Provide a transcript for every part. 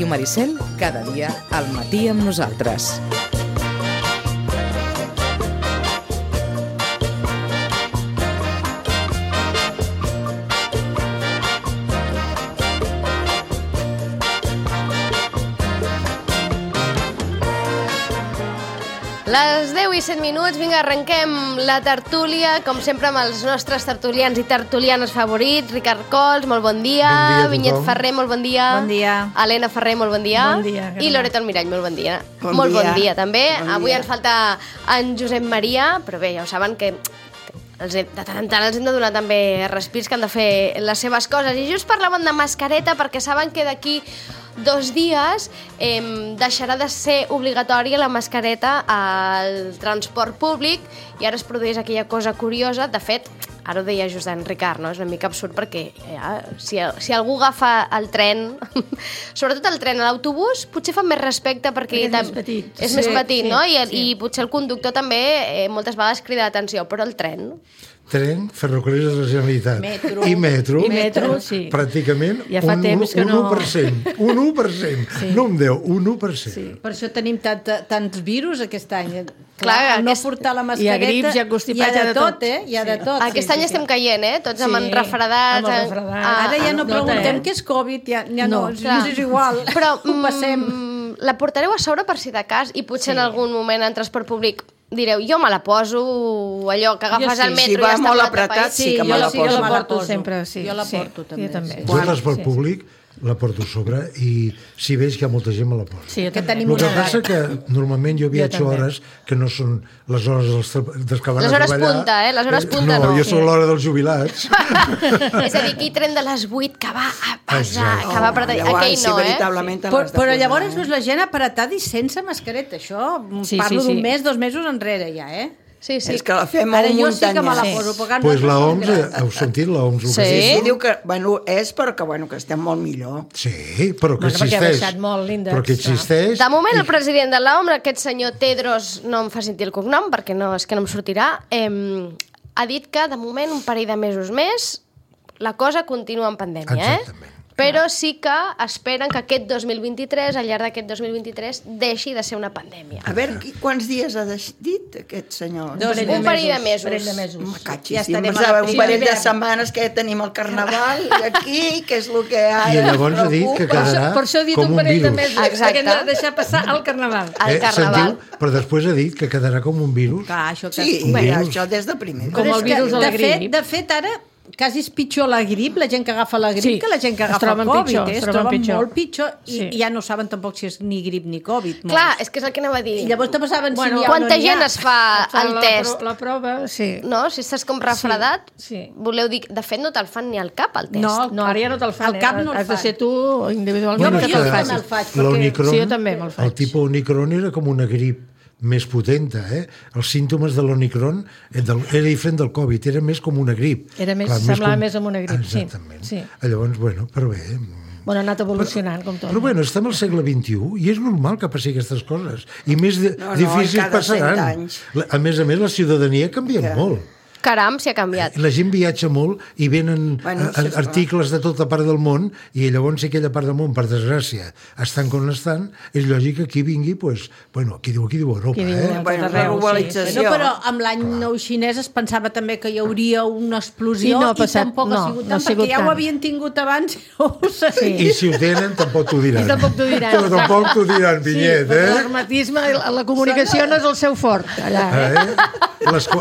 Ràdio Maricel, cada dia al matí amb nosaltres. Les 10 i 7 minuts, vinga, arrenquem la tertúlia, com sempre amb els nostres tertulians i tertulianes favorits. Ricard Cols, molt bon dia. Bon dia a tothom. Vinyet Ferrer, molt bon dia. Bon dia. Helena Ferrer, molt bon dia. Bon dia. I Loreto Almirall, molt bon dia. Bon dia també. Bon Avui dia. ens falta en Josep Maria, però bé, ja ho saben que de tant en tant els hem de donar també respirs, que han de fer les seves coses. I just parlaven de mascareta perquè saben que d'aquí 2 dies deixarà de ser obligatòria la mascareta al transport públic i ara es produeix aquella cosa curiosa. De fet, ara ho deia just en Ricard, no? És una mica absurd perquè si algú agafa el tren, sobretot el tren, a l'autobús, potser fa més respecte perquè és més petit. És més petit, no? sí. I potser el conductor també moltes vegades crida l'atenció, però el tren... Tren, ferrocarrils de la Generalitat i metro, sí. pràcticament Ja fa temps que no... 1%. Un 1%. Sí. No un 10, un 1%. Sí. Per això tenim tants virus aquest any. Clar, no portar la mascareta... Hi ha grips, hi ha constipats, hi ha de tot, Hi ha de tot. Aquest any estem caient, Tots amb refredats. Amb el refredat. Ara ja no preguntem eh? què és Covid, ja no, clar. és igual. Però ho passem. la portareu a sobre per si de cas i potser en algun moment en transport públic direu, jo me la poso, allò que agafes al metro si va i ja està molt plat de apretat, país. sí que me la jo poso. la porto poso. sempre, sí. Jo la porto també. Jo també. Jo el transport públic la porto a sobre i si veig que molta gent me la posa. Sí, jo Que també. tenim El que una passa edat. que normalment jo viatjo també. hores que no són les hores dels que van Les a hores treballar. punta, Les hores punta no. jo sóc l'hora dels jubilats. És a dir, aquell tren de les 8 que va a pesar, Exacte. que va apretar... Aquell no, veritablement te Però, l'has de però posar, llavors no és la gent apretada i sense mascareta. Això parlo d'un mes, 2 mesos enrere ja, Sí, sí. És que la fem Ara molt jo sí que me la muntanya. poso. Perquè Pues la OMS, nosaltres- heu sentit l'OMS? Sí. Sí, diu que, és perquè, que estem molt millor. Sí, però que Perquè ha existeix. baixat molt l'índex. Però que existeix. De moment, el president de l'OMS, aquest senyor Tedros, no em fa sentir el cognom, perquè és que no em sortirà, ha dit que, de moment, un parell de mesos més, la cosa continua en pandèmia, Exactament. Però sí que esperen que aquest 2023, al llarg d'aquest 2023, deixi de ser una pandèmia. A veure, quants dies ha dit aquest senyor? Un parell de mesos. Parell de mesos. Catxi, Ja sí, estarem pensava, a la un parell de primavera. setmanes que tenim el carnaval aquí, que és el que ara I llavors ha dit que quedarà Per això he dit com un un parell de virus. mesos, Exacte. perquè hem de deixar passar el carnaval. El carnaval. Sentiu? Però després ha dit que quedarà com un virus. Clar, això que... Sí, virus. això des de primer. Com Però el és que, virus de la grip. De fet, ara quasi és pitjor la grip, la gent que agafa la grip, Sí, que la gent que es agafa troben Covid. pitjor, Es troben pitjor. molt pitjor i Sí. ja no saben tampoc si és ni grip ni Covid. Clar, és que és el que anava a dir. I llavors també saben si n'hi ha o Quanta no n'hi ha. gent es fa el test? La prova, sí. No? Si estàs com refredat, Sí. voleu dir... De fet, no te'l fan ni al cap, el test. No, ara ja no te'l fan. Al cap no el Has de fan. ser tu individualment Jo que sí te'l que facis. me'l faig, perquè... L'Omicron, Sí, jo també me'l faig. el tipus Omicron era com una grip més potenta, Els símptomes de l'Omicron era diferent del Covid, era més com una grip. Era més- semblava més amb una grip, sí. Exactament. Sí. Llavors, bueno, però bé... Bueno, ha anat evolucionant, com tot. Però bueno, estem al segle XXI i és normal que passi aquestes coses. I més No, difícils cada 100 passaran. anys. A més, la ciutadania ha canviat molt. Caram, si ha canviat. La gent viatja molt i venen Bueno, sí, articles de tota part del món i llavors si aquella part del món, per desgràcia, estan com estan, és lògic que aquí vingui, pues, bueno, aquí diu Europa, Qui diu, Bueno, tot la arreu, globalització. No, però amb l'any nou xinès es pensava també que hi hauria una explosió Sí, no ha i passat, tampoc no, ha sigut no tant, ha sigut perquè ja tant. ho havien tingut abans i no ho sabien. I si ho tenen, tampoc t'ho diran. I tampoc t'ho diran, Però tampoc t'ho diran, Vinyet, L'hermetisme, la comunicació no és el seu fort, allà.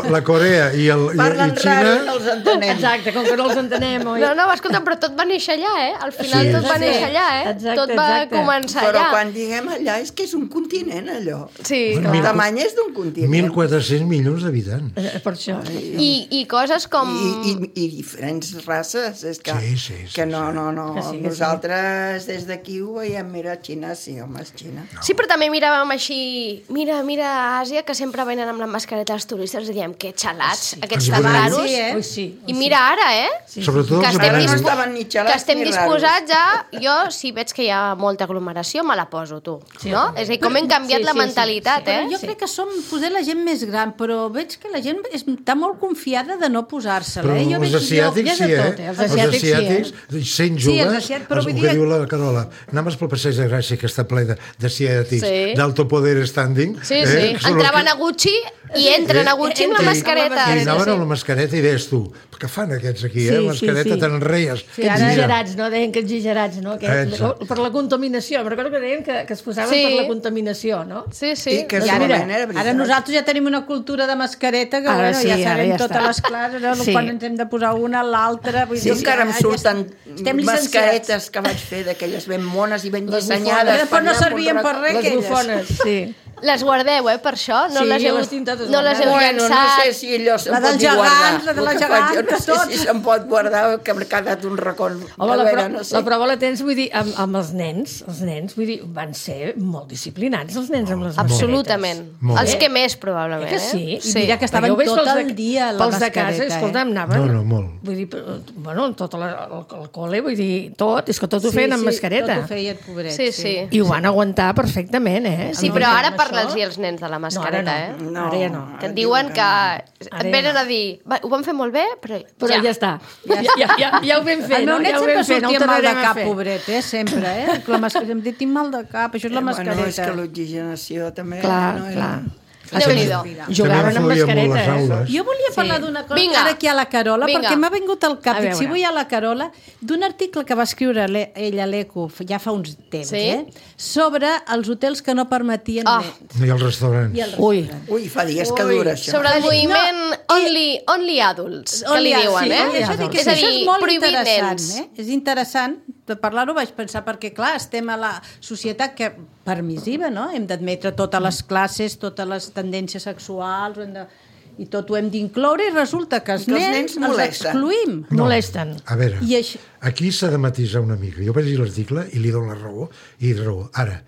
La Corea i Parlen Xina... raro i no els entenem. Exacte, com que no els entenem, oi? No, escolta, però tot va néixer allà, Al final Sí. tot va néixer allà, Exacte, Tot va exacte. començar Però allà. quan diguem allà és que és un continent, allò. Sí, Bueno, El tamany és d'un continent. 1.400 milions d'habitants. Per això. I coses com... I diferents races. És que, Sí, que no. Que sí, que sí. Nosaltres des d'aquí ho veiem, mira, Xina, sí, home, és Xina. Sí, però també miràvem així... Mira, Àsia, que sempre venen amb la mascareta els turistes. periodistes diem que xalats, Els aquests budells. raros. Ui, sí. I mira ara, Sobretot que els estem, Ara no budells. estaven ni xalats que estem ni disposats a... Jo, si veig que hi ha molta aglomeració, me la poso, tu. No? És a dir, com hem canviat la mentalitat, Però jo crec que som poder la gent més gran, però veig que la gent està molt confiada de no posar-se-la. Però Jo els veig- asiàtics sí, els asiàtics sí, sent Sí, els joves, asiàtics, però vull el dir- que diu la Carola, anaves pel passeig de Gràcia, que està ple d'asiàtics, Sí. d'alto poder standing. Sí, sí. que són els Entraven que- a Gucci i entren a Gucci amb la mascareta. I anaven amb la mascareta i deies tu, què fan aquests aquí, Sí, mascareta sí. tan reies. Que exagerats, no? Deien que exagerats, no? Exacte. Per la contaminació. Em recordo que deien que es posaven Sí. per la contaminació, no? Sí, sí. I que I ara, segurament era veritat. ara nosaltres ja tenim una cultura de mascareta que Ara sí, ja ara sabem ja totes està. les classes, no? Sí. Quan ens hem de posar una, l'altra... vull Sí, dir, encara em ja surten estem llicenciats. mascaretes que vaig fer d'aquelles ben mones i ben Les dissenyades. bufones. Després no servien per res, Les aquelles. bufones, sí. Les guardeu, per això? No Sí, les heu, les tinc totes no les heu Bueno, no llançat? sé si allò se'n La pot dels ni guardar. gegants, la de la El que faig jo geganta, no sé tot. si se'n pot guardar, que m'ha quedat un racó. Home, A la, veure, no sé. la prova la tens, vull dir, amb els nens, vull dir, van ser molt disciplinats, els nens amb les mascaretes. Absolutament. Molt. Els que més, probablement. Que sí? I mira que estaven Perquè ho veig tot pels el dia a la pels de casa, mascareta, escolta'm, anaven... No, molt. Vull dir, bueno, tot el col·le, vull dir, tot, és que tot ho feien amb mascareta. Tot ho feien, pobret. Sí, sí. I ho van aguantar perfectament, eh? Sí, No, però ara amb parla'ls això- als nens de la No, ara mascareta, no. No, Ara ja no. Que et diuen que et venen a dir ho vam fer molt bé, però Però ja està. Ja ho vam fer, El meu no? net Ja ho sempre vam fer, no ho sortia mal de tornarem a cap, fer. pobret, sempre, La mascareta, em dic, tinc mal de cap, això és la mascareta. Bueno, és que l'oxigenació també... Clar, no era- clar. Déu-n'hi-do. Jugaven amb També influïa molt mascareta, les aules. Jo volia parlar d'una cosa, Vinga. ara aquí a la Carola, Vinga. perquè m'ha vingut al cap, A dic, si veure. vull a la Carola, d'un article que va escriure ella, l'Eco, ja fa uns temps, Sí? sobre els hotels que no permetien Ah. nens. I els restaurants. I el Ui, Ui, fa dies que dura això. Sobre el moviment only adults, que li diuen, sí, eh? Això, dic, És a això dir, és molt prohibit interessant, nens. És interessant de parlar-ho, vaig pensar, perquè clar, estem a la societat que permissiva, no? Hem d'admetre totes les classes, totes les tendències sexuals, i tot ho hem d'incloure, i resulta que els Que els nens nens els molesten. excluïm. molesten. A veure, I això- aquí s'ha de matisar una mica. Jo vaig llegir l'article i li dono la raó, i raó. Ara,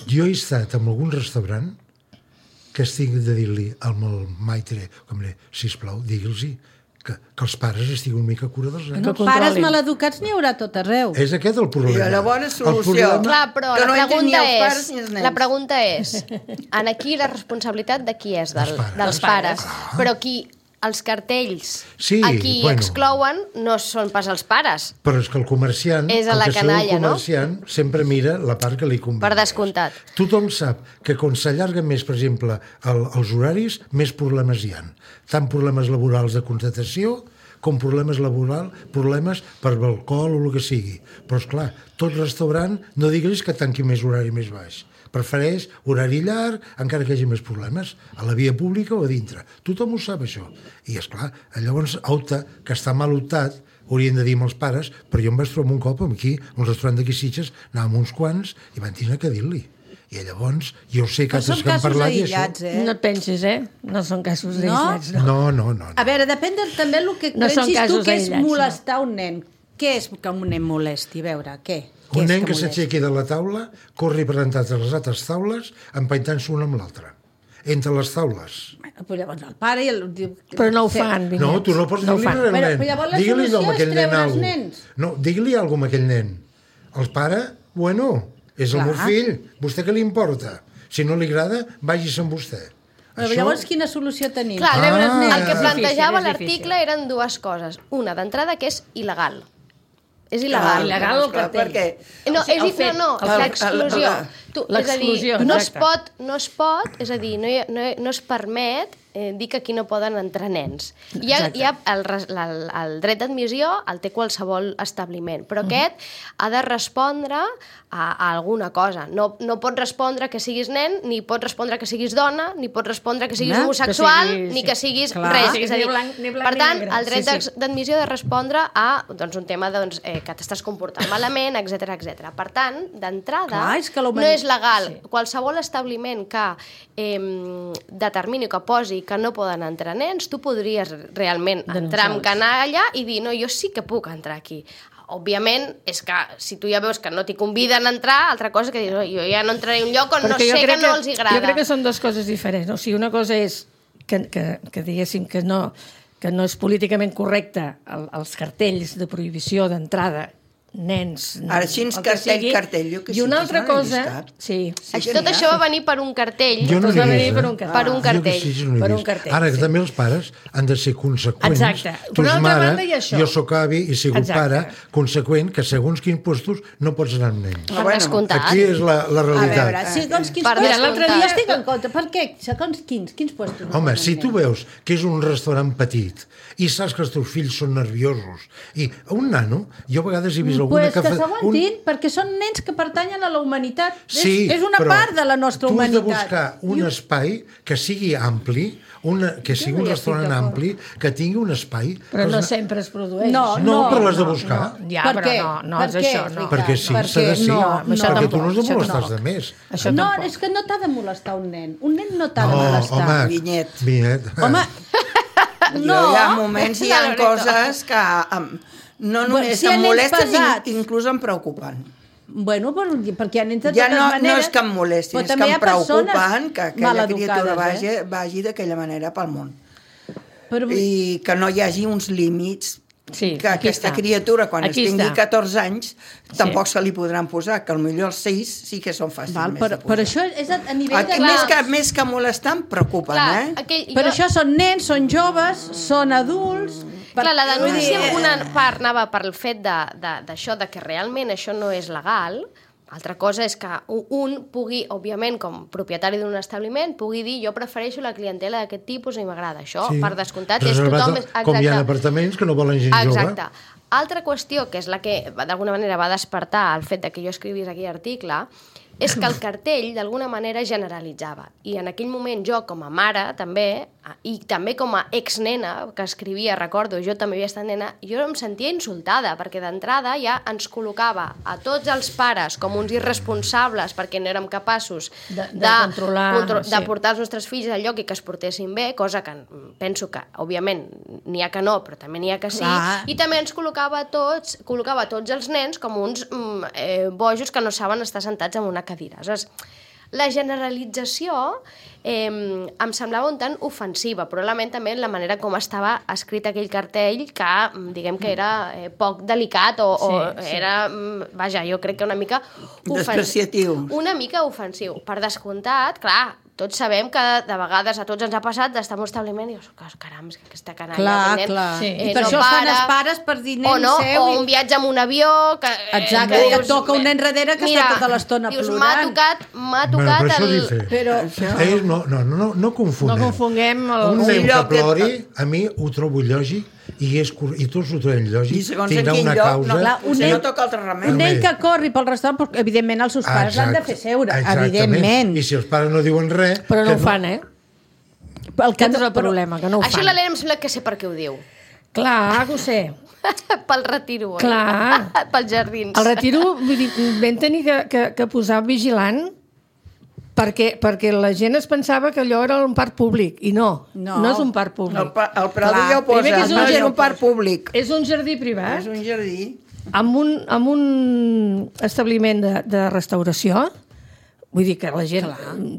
jo he estat en algun restaurant que estic de dir-li al meu maitre, com li, sisplau, digui'ls que els pares estiguin una mica a cura dels nens. No, controlin. pares maleducats n'hi haurà tot arreu. És aquest el problema. I la bona El solució. problema- Clar, però Que no la entrin ni pregunta els pares és... ni els nens. La pregunta és, en aquí la responsabilitat de qui és? Dels pares. Dels pares. Però qui els cartells Sí, a qui bueno. exclouen no són pas els pares, Però és que el comerciant, És a el la que sigui canalla, el comerciant, sempre mira la part que li convé. per descomptat. Tothom sap que quan s'allarguen més, per exemple, els horaris, més problemes hi ha. Tant problemes laborals de contratació com problemes laborals, problemes per alcohol o el que sigui. Però, esclar, tot restaurant, no diguis que tanqui més horari més baix. Prefereix horari llarg, encara que hi hagi més problemes, a la via pública o a dintre. Tothom ho sap, això. I, esclar, llavors, opta, que està mal optat, haurien de dir amb els pares, però jo em vaig trobar un cop aquí, a un restaurant d'aquí Sitges, anàvem uns quants i van tenir que dir-li. I llavors, jo sé que Però són altres que han casos parlat i aïllats, això... No et pensis, No són casos No? aïllats, no. No. A veure, depèn també del que No són pensis tu casos que és aïllats, molestar un nen. Què és que un nen molesti? A veure, què? Un nen que molesti? s'aixequi de la taula, corri per entrar a les altres taules, empaitant-se una amb l'altra. Entre les taules. Bueno, però llavors el pare i el... diu... Però no ho fan, Vinyets. No, tu no pots dir-li res al Però nen. llavors la Digue-li solució a és aquell nen treure els alguna nens. No, digui-li alguna a aquell nen. El pare, bueno, és el Clar. meu fill. Vostè què li importa? Si no li agrada, vagis amb vostè. Però llavors quina solució tenim? Clar, Ah. el que És plantejava difícil, és l'article difícil. eren dues coses. Una, d'entrada, que és il·legal. És il·legal. il·legal el Clar, cartell. perquè No, O sigui, el és fet, no, el- l'exclusió. És a dir, L'exclusió, no es exacte. pot, és a dir, no es permet dir que aquí no poden entrar nens. Hi ha el dret d'admissió, el té qualsevol establiment, però aquest ha de respondre a alguna cosa. No pot respondre que siguis nen, ni pot respondre que siguis dona, ni pot respondre que siguis Home, homosexual, que siguis- ni que siguis Clar. res. Sí, És a dir, ni blanc, ni blanc, per ni tant, negre. el dret Sí, sí. d'admissió ha de respondre a un tema que t'estàs comportant malament, etc etc. Per tant, d'entrada, Clar, és que no és legal. Qualsevol establiment que determini, que posi que no poden entrar nens, tu podries realment entrar amb canalla i dir, no, jo sí que puc entrar aquí. Òbviament, és que si tu ja veus que no t'hi conviden a entrar, altra cosa que dius, jo ja no entraré a un lloc on no sé que no els agrada. Jo crec que són dues coses diferents. O sigui, una cosa és que diguéssim que no és políticament correcte els cartells de prohibició d'entrada nens... Ara, així, cartell, jo que I una sí, altra no n'he cosa... vist cap. Sí. Tot això va venir per un cartell. Jo no va n'he venir vist, per un cartell. Per un cartell. Jo que sí, no n'he Per un vist. cartell, Ara, sí. també els pares han de ser conseqüents. Exacte. Tu Per ets altra mare, banda, hi ha això. jo sóc avi i sigut Exacte. pare, conseqüent que segons quins puestos no pots anar amb nens. Per descomptat. Aquí és la A realitat. veure, segons quins Per puestos... descomptat. L'altre dia estic en compte. Per què? Segons quins puestos? no Home, poden si tu anar? veus que és un restaurant petit i saps que els teus fills són nerviosos i un nano, jo a vegades he vist alguna Pues que s'aguantin, perquè són nens que pertanyen a la humanitat. Sí, és una però part de la nostra tu has de humanitat. buscar un espai que sigui ampli, que sigui no un hi restaurant estic d'acord. ampli, que tingui un espai... Però que no els- sempre es produeix. No, però l'has de buscar. Ja, Per però què? no és Per què, això, no. Ricard? Perquè sí, Per s'ha de què? ser. No, això perquè tu tampoc, no has de això molestar tampoc. els altres. Això No, tampoc. és que no t'ha de molestar un nen. Un nen no t'ha de No, molestar. home, Vinyet. Vinyet. Home, No. Hi ha moments, hi ha coses que no només si hi ha em nens molesten, pesats. inclús em preocupen. bueno, perquè hi ha nens de Ja totes no maneres... és que em molestin, però és que també hi em ha persones preocupen que aquella criatura maleducades, vagi d'aquella manera pel món. Però, I que no hi hagi uns límits Sí, que aquí aquesta està. criatura, quan Aquí es tingui està. 14 anys, tampoc se li podran posar, que potser els 6 sí que són fàcils val, més de però posar. això és a nivell de... Més que molestar, em preocupen, Clar, Però això són nens, són joves, són adults... Clar, la denúncia, Vull dir, una part anava per el fet d'això, de que realment això no és legal. Altra cosa és que un pugui, òbviament, com propietari d'un establiment, pugui dir jo prefereixo la clientela d'aquest tipus i m'agrada això, per descomptat. És Reservat, tothom... com hi ha apartaments que no volen gent jove. Exacte. Altra qüestió, que és la que d'alguna manera va despertar el fet de que jo escrivís aquell article, és que el cartell d'alguna manera generalitzava. I en aquell moment jo, com a mare, també, i també com a exnena, que escrivia, recordo, jo també havia estat nena, jo em sentia insultada, perquè d'entrada ja ens col·locava a tots els pares com uns irresponsables perquè no érem capaços De controlar, de sí. portar els nostres fills al lloc i que es portessin bé, cosa que penso que, òbviament, n'hi ha que no, però també n'hi ha que sí, Clar. i també ens col·locava tots els nens com uns bojos que no saben estar sentats en una cadira. Aleshores, la generalització em semblava un tant ofensiva, probablement també en la manera com estava escrit aquell cartell, que diguem que era poc delicat o Sí. era, vaja, jo crec que una mica Despreciatiu. Una mica ofensiu. Per descomptat, clar, tots sabem que de vegades a tots ens ha passat d'estar en un establiment i dius, caram, és que aquesta canalla... Clar, aquest nen, clar. Sí. I per això fan els pares per dir nen o no, seu. o un viatge amb un avió... Que, Exacte, que que et toca un nen darrere que està tota l'estona dius, plorant. M'ha Bueno, tocat però això el... dice. Però... No confonem. No confonguem Un nen que lloc que- plori, a mi ho trobo lògic i tots ho trobem lògic. I segons en Tindrà quin una lloc, causa. no, Clar, un potser nen- no toca altre remei. Un nen que corri pel restaurant, però, evidentment els seus pares l'han de fer seure, Exactament. evidentment. I si els pares no diuen res... Però no que ho fan, eh? Aquest és el problema, que no ho Això fan. l'Helena em sembla que sé per què ho diu. Clar, que ho sé. Pel retiro, oi? Clar. Pels jardins. El retiro, vull dir, vam tenir que posar vigilant perquè la gent es pensava que allò era un parc públic, i no és un parc públic. El Prado Clar, ja ho posa, primer que és un no és jardí- un parc públic. És un jardí privat És un jardí. amb un establiment de restauració. Vull dir que la gent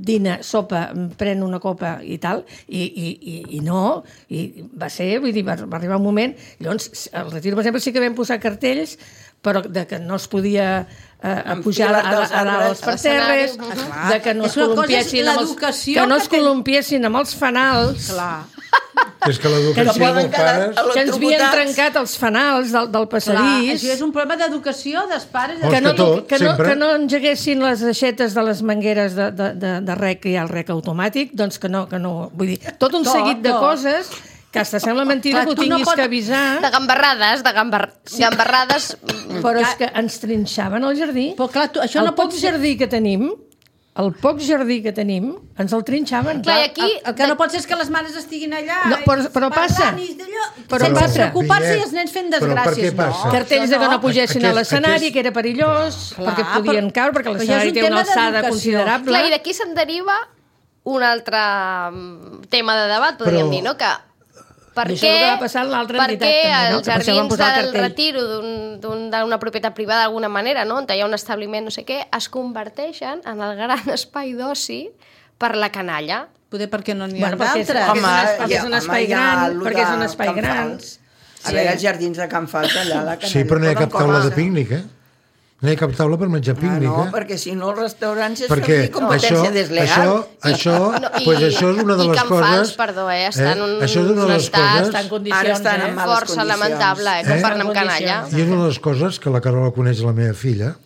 dina, sopa, pren una copa i tal, i no, i va ser, vull dir, va arribar un moment, llavors, al retiro, per exemple, sí que vam posar cartells, però de que no es podia pujar als parterres, de que no es És una cosa, és columpiessin l'educació que no que es té- columpiessin amb els fanals, Clar. És que l'educació poden dels pares... quedar que ens havien electrocutats. trencat els fanals del Clar, passadís, això és un problema d'educació dels pares. Vols que tot, sempre? que no engeguessin les aixetes de les mangueres de rec, que hi ha el rec automàtic, doncs que no, vull dir, tot un seguit de coses que hasta sembla mentira Clar, que ho tu no tinguis pots- que avisar, De gambarrades, gambarrades... però és que ens trinxaven el jardí. Però clar, això El no pot poc ser... jardí que tenim, ens el trinxaven. Clar, i aquí... El que no pot ser és que les mares estiguin allà No, però passa. parlant i d'allò, Però sense passa. preocupar-se i els nens fent Però per desgràcies. què passa? No, Cartells això de que no pugessin a Aquest- l'escenari, que era perillós, Clar, perquè podien caure, perquè però ja és l'escenari un té una tema alçada d'educació. considerable. Clar, i d'aquí se'n deriva un altre tema de debat, podríem Però- dir, no? Que per I això és el que va passar en l'altra entitat, per què també, no? els Que per això van jardins posar el del cartell. retiro d'una propietat privada d'alguna manera, no? On hi ha un establiment no sé què, es converteixen en el gran espai d'oci per la canalla? Poder perquè no n'hi ha perquè d'altres. és un espai gran, perquè és un espai gran. A veure, els jardins de Can Fals, allà a la canalla. Sí, però no hi ha cap taula de pícnic, No hi ha cap taula per menjar pícnic, No, perquè si no els restaurants és perquè competència desleal. això és una de les coses... I Can Fals, perdó, està en un estat Ara estan en males força condicions. lamentable, comparant amb canalla. I és una de les coses que la Carola coneix la meva filla,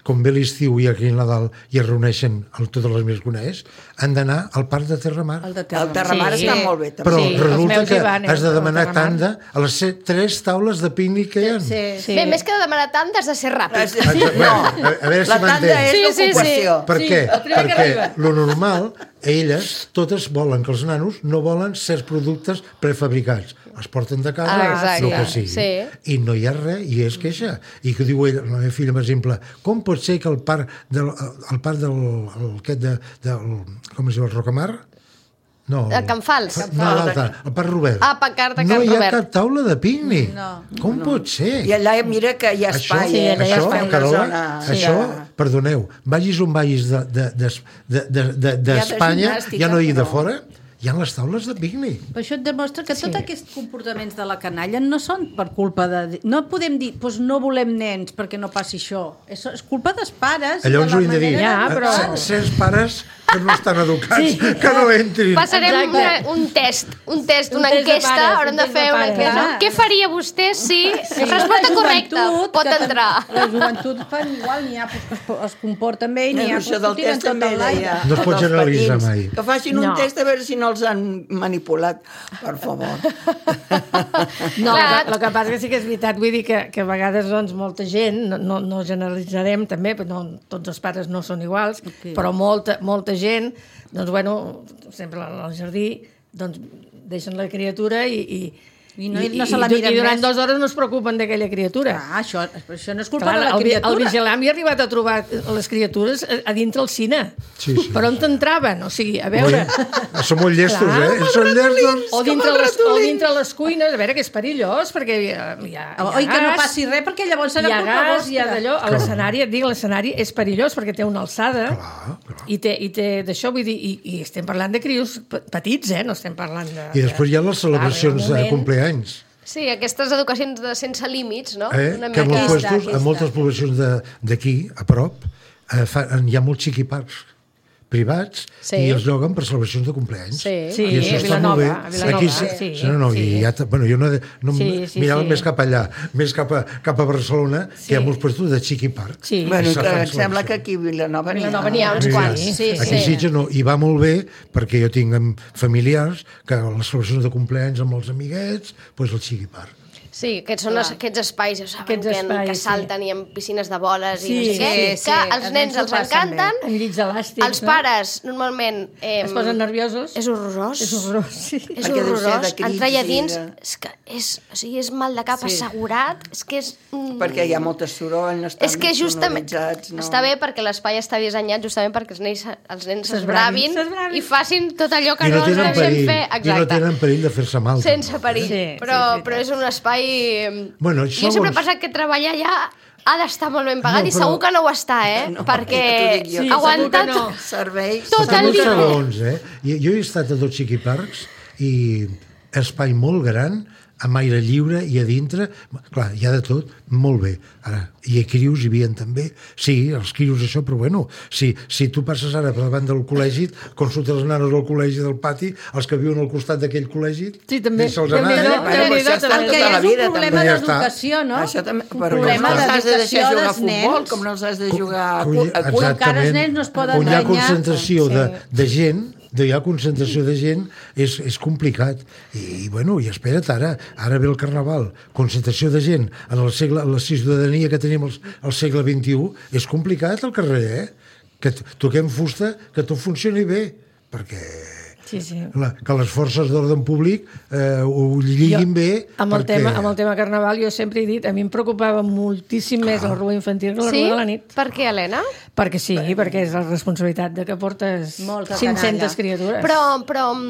com ve l'estiu i aquí a Nadal i es reuneixen totes les meves coneix, han d'anar al parc de Terramar. El Terramar està molt bé, també. Però Sí, resulta els meus que hi van, has de demanar al Terramar. tanda a les 3 taules de pícnic que hi ha. Sí. Bé, més que de demanar tant, has de ser ràpid. No, A veure si la tanda m'entens. és l'ocupació. Per què? el primer que Perquè arriba. lo normal, elles totes volen que els nanos no volen certs productes prefabricats. Els porten de casa, Exacte, el que sigui. sí. I no hi ha res, i és queixa. I que diu ella, la meva filla, per exemple, com pot ser que el parc del com es diu, el Rocamar? No, El Can Fals. No, l'altre, el Parc Robert. Ah, Parc de Can No hi ha Robert. cap taula de pícnic. No. Com pot ser? I allà mira que hi ha espai. Sí, allà hi ha espai. Carola, això, perdoneu, vagis on vagis d'Espanya, ja no hi de fora, hi ha les taules de pícnic. Per això et demostra que tots aquests comportaments de la canalla no són per culpa de... No podem dir, doncs no volem nens perquè no passi això. És culpa dels pares. Llavors ho hem de dir, Ja, però- certs pares que no estan educats, que no entrin. Passarem un test, Un una test de enquesta, pares, haurem un de test fer de una pares. enquesta. Clar. Què faria vostè si... Resposta La correcta, joventut, pot que entrar. La joventut fan igual, n'hi ha que es comporten bé i n'hi ha Això del que tiren test tot també enlaire. deia. No es pot dels generalitzar petits, mai. Que facin un No. test a veure si no els han manipulat, per favor. No, Clar. el que passa que sí que és veritat, vull dir que a vegades doncs, molta gent, no generalitzarem també, però no, tots els pares no són iguals, però molta gent, doncs bueno, sempre al jardí, doncs deixen la criatura i no se la miren i durant més. 2 hores no es preocupen d'aquella criatura. Això no és culpa Clar, de la el criatura. vigilant havia arribat a trobar les criatures a dintre el cine. Sí, sí. Per on t'entraven? O sigui, a veure... Són molt llestos, Clar. Són llestos. O dintre les cuines, a veure, que és perillós, perquè hi ha Oi, que no gas, passi res, perquè llavors serà hi ha culpa gas, hi ha vostra. d'allò. A l'escenari, et dic, l'escenari és perillós perquè té una alçada Clar. i té d'això, vull dir, i estem parlant de crios petits, no estem parlant de... I després hi ha les celebracions de compleanys. Sí, aquestes educacions de sense límits, no? Que en moltes poblacions d'aquí, a prop, hi ha molts xiquiparcs privats i els lloguen per celebracions de compleanys. Sí, I això a està molt bé. Vilanova, Aquí, sí. jo no mirava sí. més cap allà, més cap a Barcelona, que hi ha molts puestos de xiquiparc. Sí. Bueno, I se fan em sembla que celebracions. aquí a Vilanova n'hi ha uns quants. Sí, Aquí a Sitges no, i va molt bé perquè jo tinc familiars que a les celebracions de compleanys amb els amiguets, doncs el xiquiparc. Sí, aquests són aquests espais, ja saben, Aquests espais, que salten i amb piscines de boles i no Sí, sé què, sí, que sí, als nens els encanten, Amb llits elàstics, els pares normalment... Es posen nerviosos. És horrorós. És horrorós, sí. És Perquè deu ser de horrorós. crits Entrar allà i dins, de- és mal de cap Sí. assegurat, és que és... Perquè hi ha molt soroll, no estan És que justament sonoritzats. No. està bé perquè l'espai està dissenyat justament perquè els nens S'esbravin, s'esbravin i facin tot allò que I no no els tenen deixem perill, fer. i no Exacte. tenen perill de fer-se mal. Sense perill. Sí, Però és un espai... Bueno, Jo sempre he pensat que treballar allà ha d'estar molt ben pagat i segur que no ho està, perquè ja t'ho dic jo. ha aguantat... segur que no. Serveis. Tot Fa el molts dia. segons, Jo he estat a 2 xiquiparcs i espai molt gran, amb aire lliure i a dintre, clar, hi ha de tot, molt bé. Ara, hi ha crios, hi havia també, sí, els crios això, però bueno, si tu passes ara per davant del col·legi, consultes les nanes del col·legi del pati, els que viuen al costat d'aquell col·legi, Sí, també. deixa'ls També, anar. no? Bueno, això està El que tota hi ha la és un vida, problema també. Ja està. d'educació, no? Això també, Un però problema com no els has de deixar d'educació jugar a dels futbol, nens. com no els has de jugar a Que cul. encara els nens no es poden on hi ha danyar. concentració de gent, hi ha concentració de gent, és complicat. I bueno, i espera't, ara ve el Carnaval, concentració de gent en la ciutadania que tenim al segle XXI, és complicat al carrer, que toquem fusta, que tot funcioni bé, perquè Sí. que les forces d'ordre públic ho lliguin bé. Amb el tema Carnaval jo sempre he dit, a mi em preocupava moltíssim més la rua infantil que la Sí? rua de la nit. Per què, Helena? Perquè sí, perquè és la responsabilitat de que portes Molta 500 canalla. criatures. Però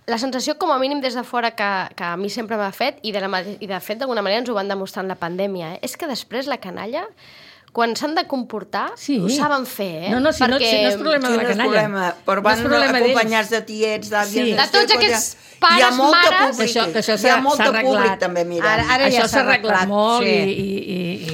la sensació, com a mínim des de fora, que a mi sempre m'ha fet, i de fet d'alguna manera ens ho van demostrar en la pandèmia, és que després la canalla, quan s'han de comportar, Sí. ho saben fer, No, si no és problema de la Quin és el canalla. problema? Però van acompanyats de tiets, d'àvies... Sí. De tots aquests pares, hi ha molta mares... públic, Que això hi ha molt s'ha de arreglat. públic també mirant. Ara ja Això s'ha s'ha arreglat arreglat, molt sí.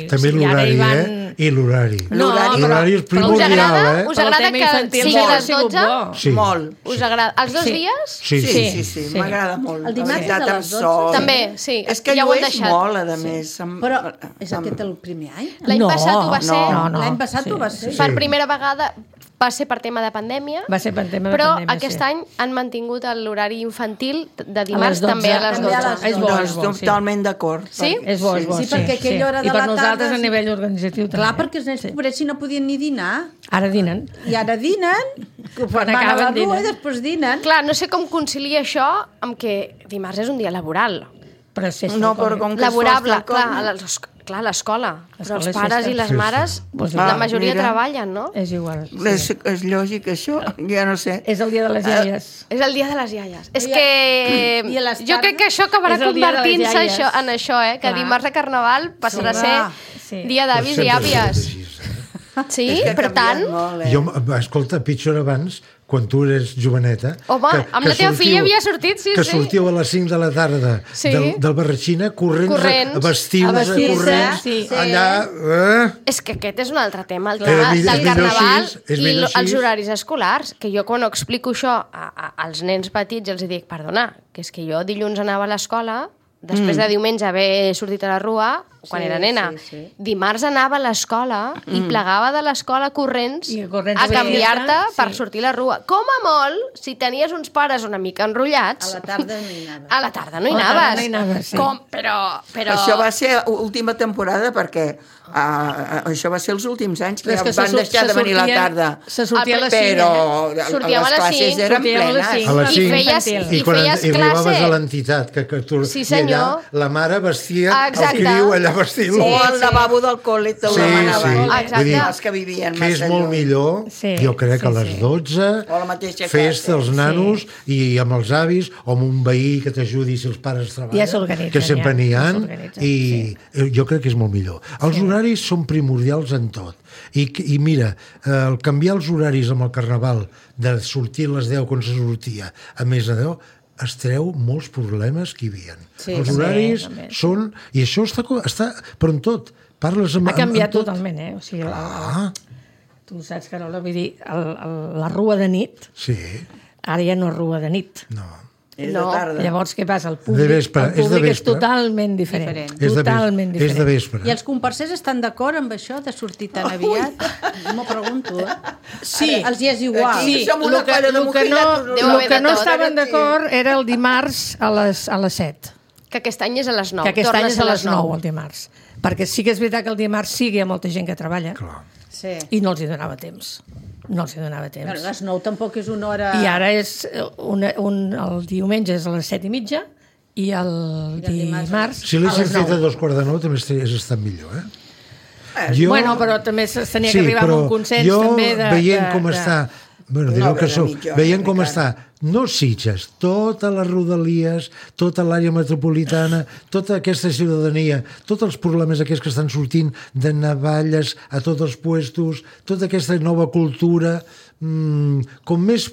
i També i ara hi l'horari, van- I l'horari. No, L'horari és Us primordial, agrada, eh? us Pel agrada tema que infantil sigui a ha les sigut 12? bo. Sí. Molt. Us agrada? Els 2 Sí. dies? Sí, Sí, Sí. m'agrada molt. El dimarts La veritat, és a amb les 12. sol. També, sí. És que ja ho han llueix deixat. molt, a més. Però és aquest el primer any? L'any passat ho va ser... No. L'any passat ho va ser. Per primera vegada va ser per tema de pandèmia, Va ser per tema de però pandèmia, aquest sí. any han mantingut l'horari infantil de A dimarts les 12. també a les També a 12. les És bo, No, és bo, sí. totalment d'acord. Sí? És bo, és bo. Sí, perquè aquella hora de I per la nosaltres tarda- a nivell organitzatiu també. Clar, perquè els nens pobrets no podien ni dinar. Ara dinen. I ara dinen, van a la acaben, rua dinen. i després dinen. Clar, no sé com conciliar això amb que dimarts és un dia laboral. Però sí, No, però com que Laborable, es fa clar, a l'escola. Però els és pares festa. i les Sí, sí. mares, Pues la Ah, majoria mira. treballen, no? És igual. És lògic, això? Ja no sé. És el dia de les iaies. És el dia de les iaies. És I que i a les jo crec que això acabarà És el dia de les convertint-se iaies. en això, que Clar. dimarts de Carnaval passarà a Clar, ser sí. dia d'avis i Sempre ha àvies. sigut així, eh? Sí, És que ha per tant... canviat molt, Jo, escolta, pitjor abans, quan tu eres joveneta... Home, amb la teva filla havia sortit, sí, que sí. sortíeu a les 5 de la tarda Sí. del Barratxina corrents. A vestir-vos, A vestir-se, corrents, sí. allà... És que aquest és un altre tema, el Clar. tema És del millor Carnaval així, és i millor així. els horaris escolars, que jo quan explico això als nens petits els dic, perdona, que és que jo dilluns anava a l'escola, després de diumenge haver sortit a la rua, quan era nena, dimarts anava a l'escola i plegava de l'escola corrents I corrents a a canviar-te vestir-te, per sí. sortir a la rua. Com a molt, si tenies uns pares una mica enrotllats... A la tarda no hi anaves. A la tarda no hi A la tarda anaves. no hi anaves, sí. Com? Però... Això va ser última temporada perquè això va ser els últims anys que Però és ja que van deixar de venir a la tarda. Se sortia a les 5. Però Sortíem a les les classes 5, eren sortíem a les plenes. 5. A les I 5. feies, Infantil. i quan feies arribaves classe. a l'entitat que tu, Sí, i senyor. allà la mare vestia Exacte. el criu allà vestint-lo. O al lavabo del col·le te ho Sí, demanaven. sí. Exacte. Vull dir, Els que vivien que és massa molt lluny. millor, Sí, jo crec, sí, a les sí. 12, O a la mateixa festa classe. als nanos i amb els avis, o amb un veí que t'ajudi si els pares treballen, Ja s'organitzen, que sempre ja, n'hi ha, ja s'organitzen, i jo crec que és molt millor. Els horaris són primordials en tot. I mira, el canviar els horaris amb el Carnaval, de sortir a les 10 quan se sortia a més de 10, es treu molts problemes que hi havia. Sí, Els sí, horaris també. són... I això està però en tot. Parles amb... Ha canviat amb tot. totalment, O sigui, Ah, tu saps, Carola, vull dir, la rua de nit, sí, ara ja no és rua de nit. no. És No. de tarda. Llavors, què passa? El De públic, vespre, el és de públic és vespre. totalment diferent. Diferent. Totalment És de diferent. vespre. I els comparsers estan d'acord amb això, de sortir tan aviat? M'ho pregunto, Sí. Els hi és igual. Aquí Sí, som una el que, colla de el que no, mojillas, deu el haver que de no tot. estaven d'acord era el dimarts a les 7. Que aquest any és a les 9. Que aquest Torna any a és ser a les 9, el dimarts. Perquè sí que és veritat que el dimarts sí que hi ha molta gent que treballa Clar. Sí. i no els hi donava temps. No els hi donava temps. Bueno, les 9 tampoc és una hora... I ara és el diumenge és a les 7:30 i el dimarts Si a l'haguessin les fet a 9. 2:45 també hagués estat millor, eh? Bueno, però també tenia que arribar a un consens jo, també veient com està... Bueno, direu hora que de sou... mitja hora, Veient com encara. està, no Sitges, totes les rodalies, tota l'àrea metropolitana, tota aquesta ciutadania, tots els problemes aquests que estan sortint de navalles a tots els puestos, tota aquesta nova cultura, com més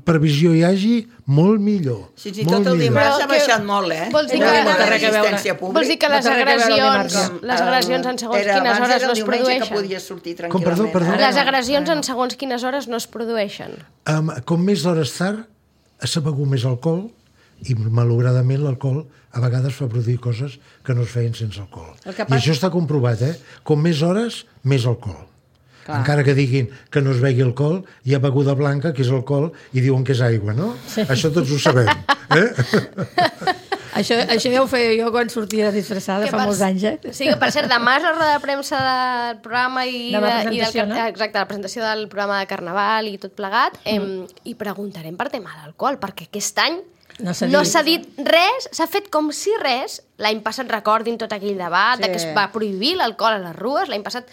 previsió hi hagi, molt millor. Fins i molt tot el millor. dimarts Però ha baixat molt, vols dir El que- tema no té de res a veure. l'assistència pública. Vols dir que les No té res a veure amb agressions, les agressions en segons quines abans hores era no el es diumenge que produeixen? podies sortir Com, tranquil·lament. perdó? Les agressions en segons quines hores no es produeixen. Com més hores tard, s'ha begut més alcohol i, malauradament, l'alcohol a vegades fa produir coses que no es feien sense alcohol. I això està comprovat, Com més hores, més alcohol. Clar. Encara que diguin que no es begui alcohol, hi ha beguda blanca, que és alcohol, i diuen que és aigua, no? Sí. Això tots ho sabem. Això ja ho feia jo quan sortia disfressada fa molts anys, Sí, que per cert, demà és la roda de premsa del programa i, Demà i presentació, no? exacte, la presentació del programa de Carnaval i tot plegat, i preguntarem per tema d'alcohol, perquè aquest any No s'ha no dit. s'ha dit res, s'ha fet com si res. L'any passat recordin tot aquell debat de que es va prohibir l'alcohol a les rues, l'any passat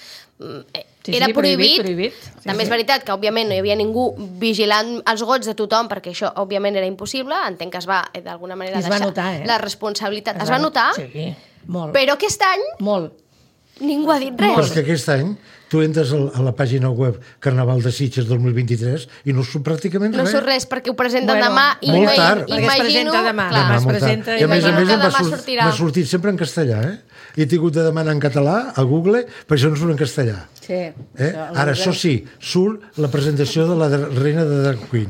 era prohibit. També és veritat que, òbviament, no hi havia ningú vigilant els gots de tothom, perquè això, òbviament, era impossible. Entenc que es va, d'alguna manera, I es va deixar notar, la responsabilitat. Es va notar? Sí, molt. Però aquest any Molt. ningú ha dit Però és res. que aquest any tu entres a la pàgina web Carnaval de Sitges 2023 i no surt pràcticament No res. surt res, perquè ho presenten demà i molt tard. Perquè es presenta demà. Clar, Demà es Molt tard. presenta I a més imagino que m'ha demà sortirà. m'ha sortit sempre en castellà, I he tingut de demanar en català a Google, per això no surt en castellà. Sí. Ara, això sí, surt la presentació de la reina de Drag Queen.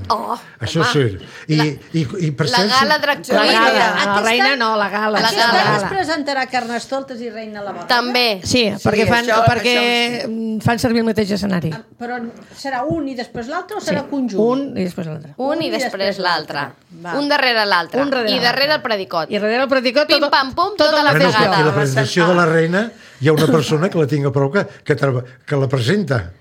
Això home. surt. I per La cert... gala Drag La Queen. gala, la reina no, la gala. La Aquest gala. any es presentarà Carnestoltes i Reina la Boda. També. Sí, perquè això fan servir el mateix escenari. Però serà un i després l'altre o serà conjunt? Un i després l'altre. Un i després l'altre. Va. Un darrere l'altre. Un darrere I darrere l'altre. el predicot. I darrere el predicot... Pim, pam, pum, tota la No, no, fregada. perquè la presentació de la reina hi ha una persona que la tinc a prou que la presenta.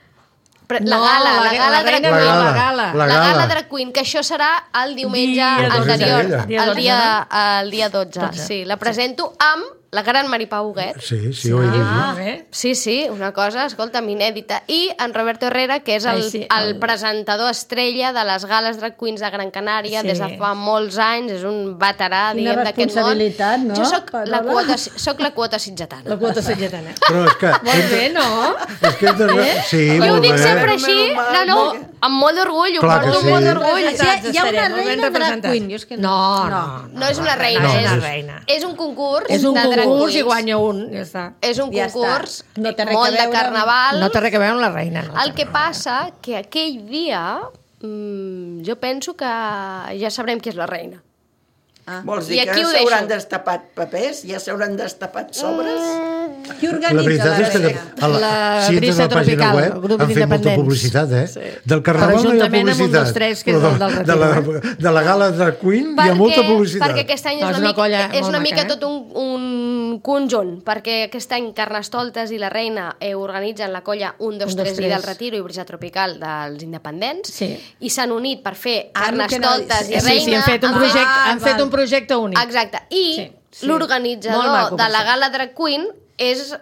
La No, gala, la gala Drag reina Queen. no, La la gala. La La gala. gala Drag Queen, que això serà el diumenge Dia 12. anterior, Dia el dia 12. Sí, la presento amb la gran Maripau Huguet. Sí, ho he llegit. Sí, una cosa, escolta'm, inèdita. I en Roberto Herrera, que és el presentador estrella de les gales Drag Queens de Gran Canària des de fa molts anys, és un veterà, Quina diguem, d'aquest món. responsabilitat, no? Jo soc Carola? la quota sitgetana. La quota sitgetana. Però és que... Molt bé, no? És que hem de... Sí, Jo ho molt dic bé. sempre així, no, amb molt d'orgull, ho Clar que porto sí. amb molt d'orgull. Hi ha una Molt ben reina Drag representat. Queen. Jo és que No és una reina, No, és, és- reina. és un concurs És un de drag concurs i queens. guanya un, ja està. És un Ja concurs està. No té res molt a de veure amb- carnaval. No té res a veure amb la reina. No El que passa que aquell dia jo penso que ja sabrem qui és la reina. Vols I dir que aquí ho s'hauran deixo. destapat papers? Ja s'hauran destapat sobres? Qui La organitza veritat és que reina? si entres a la pàgina Tropical, web el grup han fet molta d'independents. publicitat, Del Per carnaval no hi ha ajuntament amb un publicitat. dels tres, que és però el del de la gala Drag Queen hi ha molta publicitat. Perquè aquest any No, és és una, una colla mica, és molt una maca, mica eh? tot un conjunt, perquè aquest any Carnestoltes i la Reina organitzen la colla 1, 2, 3 i del Retiro i Brisa Tropical dels independents Sí. i s'han unit per fer Ah, el que no- Carnestoltes i Sí, Reina. sí, han fet un val. Ah, projecte únic. Exacte. I Sí, sí. Molt l'organitzador maco, de per la cert. gala Drag Queen és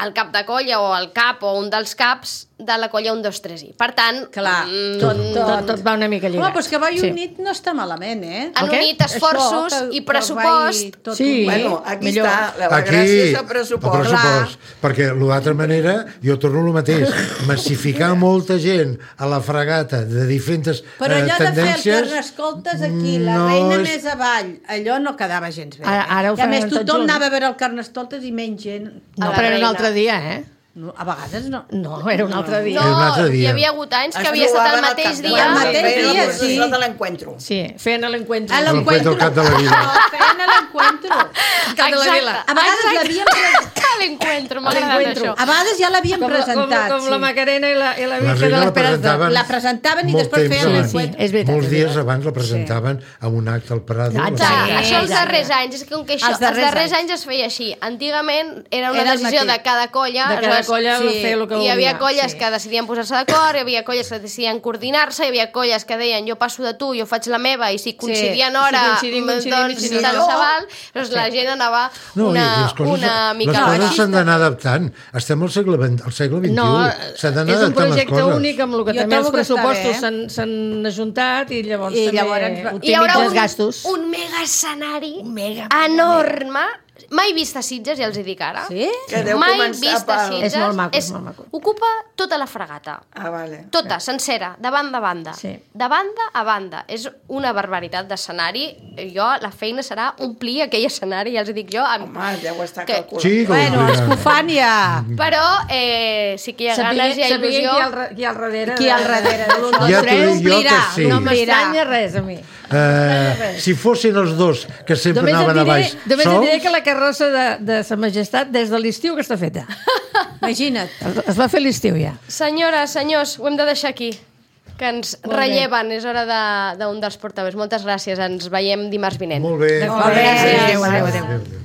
el cap de colla o el cap o un dels caps de la colla 1, 2, 3 i. Per tant, Clar, Tot va una mica lligat. Home, però és que Vall Sí. Unit no està malament, eh? han El què? unit esforços Això, que- i que pressupost. vagi tot Sí. unit. Bueno, aquí millor. està. La Aquí, gràcia és el pressupost. el pressupost. Perquè l'altra manera, jo torno al mateix, massificar molta gent a la fregata de diferents Però allò de fer el tendències... Carnestoltes aquí, la no reina és- més avall, allò no quedava gens bé. Ara ho I a més, faran tots tothom junts. anava a veure el Carnestoltes i menys gent. No, a la però era un reina. altre dia, eh? No, a vegades no. No, era un altre dia. Era un altre No, dia. hi havia hagut anys que Es havia estat el trobaven al mateix cap de dia. El la mateix feina dia, de sí. de l'encuentro. Sí, feien l'encuentro. A L'encuentro al cap de la vila. No, feien a l'encuentro. Cap de la vila. A vegades l'havien presentat. L'encuentro, m'ha agradat L'encuentro. això. A vegades ja l'havien presentat. Com la Macarena i la La Virgen de reina la l'Esperança. presentaven La presentaven i molt després temps feien abans. l'encuentro. Sí, és veritat. Molts és dies veritat. abans la presentaven a un acte al Prado. Ah, la Clar, Sí, això els exacte. darrers anys, és que com que això, Els els darrers darrers anys es feia així. Antigament era una Era el decisió mateix. de cada colla. De cada aleshores, colla fer el que Hi havia volia, colles sí. que decidien posar-se d'acord, hi havia colles que decidien coordinar-se, hi havia colles que deien jo passo de tu, jo faig la meva, i si coincidien hora, si coincidim, doncs si no, tant no. se val. Llavors la gent anava No, i una les mica... coses s'han d'anar adaptant. Estem al segle XXI. No, S'han d'anar és un adaptant les projecte coses. únic amb el que Jo també els trobo que està pressupostos bé. s'han ajuntat i llavors I també llavors Hi haurà optimitzen els gastos. un mega escenari enorme, mai vist a Sitges, ja els hi dic ara. Sí? Que deu Mai començar vist a pel- Sitges. És molt maco, és molt maco. Ocupa tota la fregata. Ah, vale. Tota, sencera, de banda a banda. Sí. De banda a banda. És una barbaritat d'escenari. Jo, la feina serà omplir aquell escenari, ja els hi dic jo. Home, deu estar Que- calculat. Sí, com Bueno, obligat. escofània. Però sí que hi ha ganes, hi ha Saber il·lusió. qui hi ha al darrere. Qui hi ha al darrere de l'un, dos, Ja t'ho tres, dic jo que omplirà. sí. No Omplirà. m'estranya res, a mi. Si fossin els dos que sempre Només et anaven a diré, baix només et diré sols, que la carrossa de Sa Majestat des de l'estiu que està feta. Imagina't. Es va fer l'estiu ja. Senyores, senyors, ho hem de deixar aquí, que ens Molt bé. relleven, és hora d'un dels portaveus. Moltes gràcies, ens veiem dimarts vinent. molt bé. Molt bé, adéu, adéu, adéu. Adéu.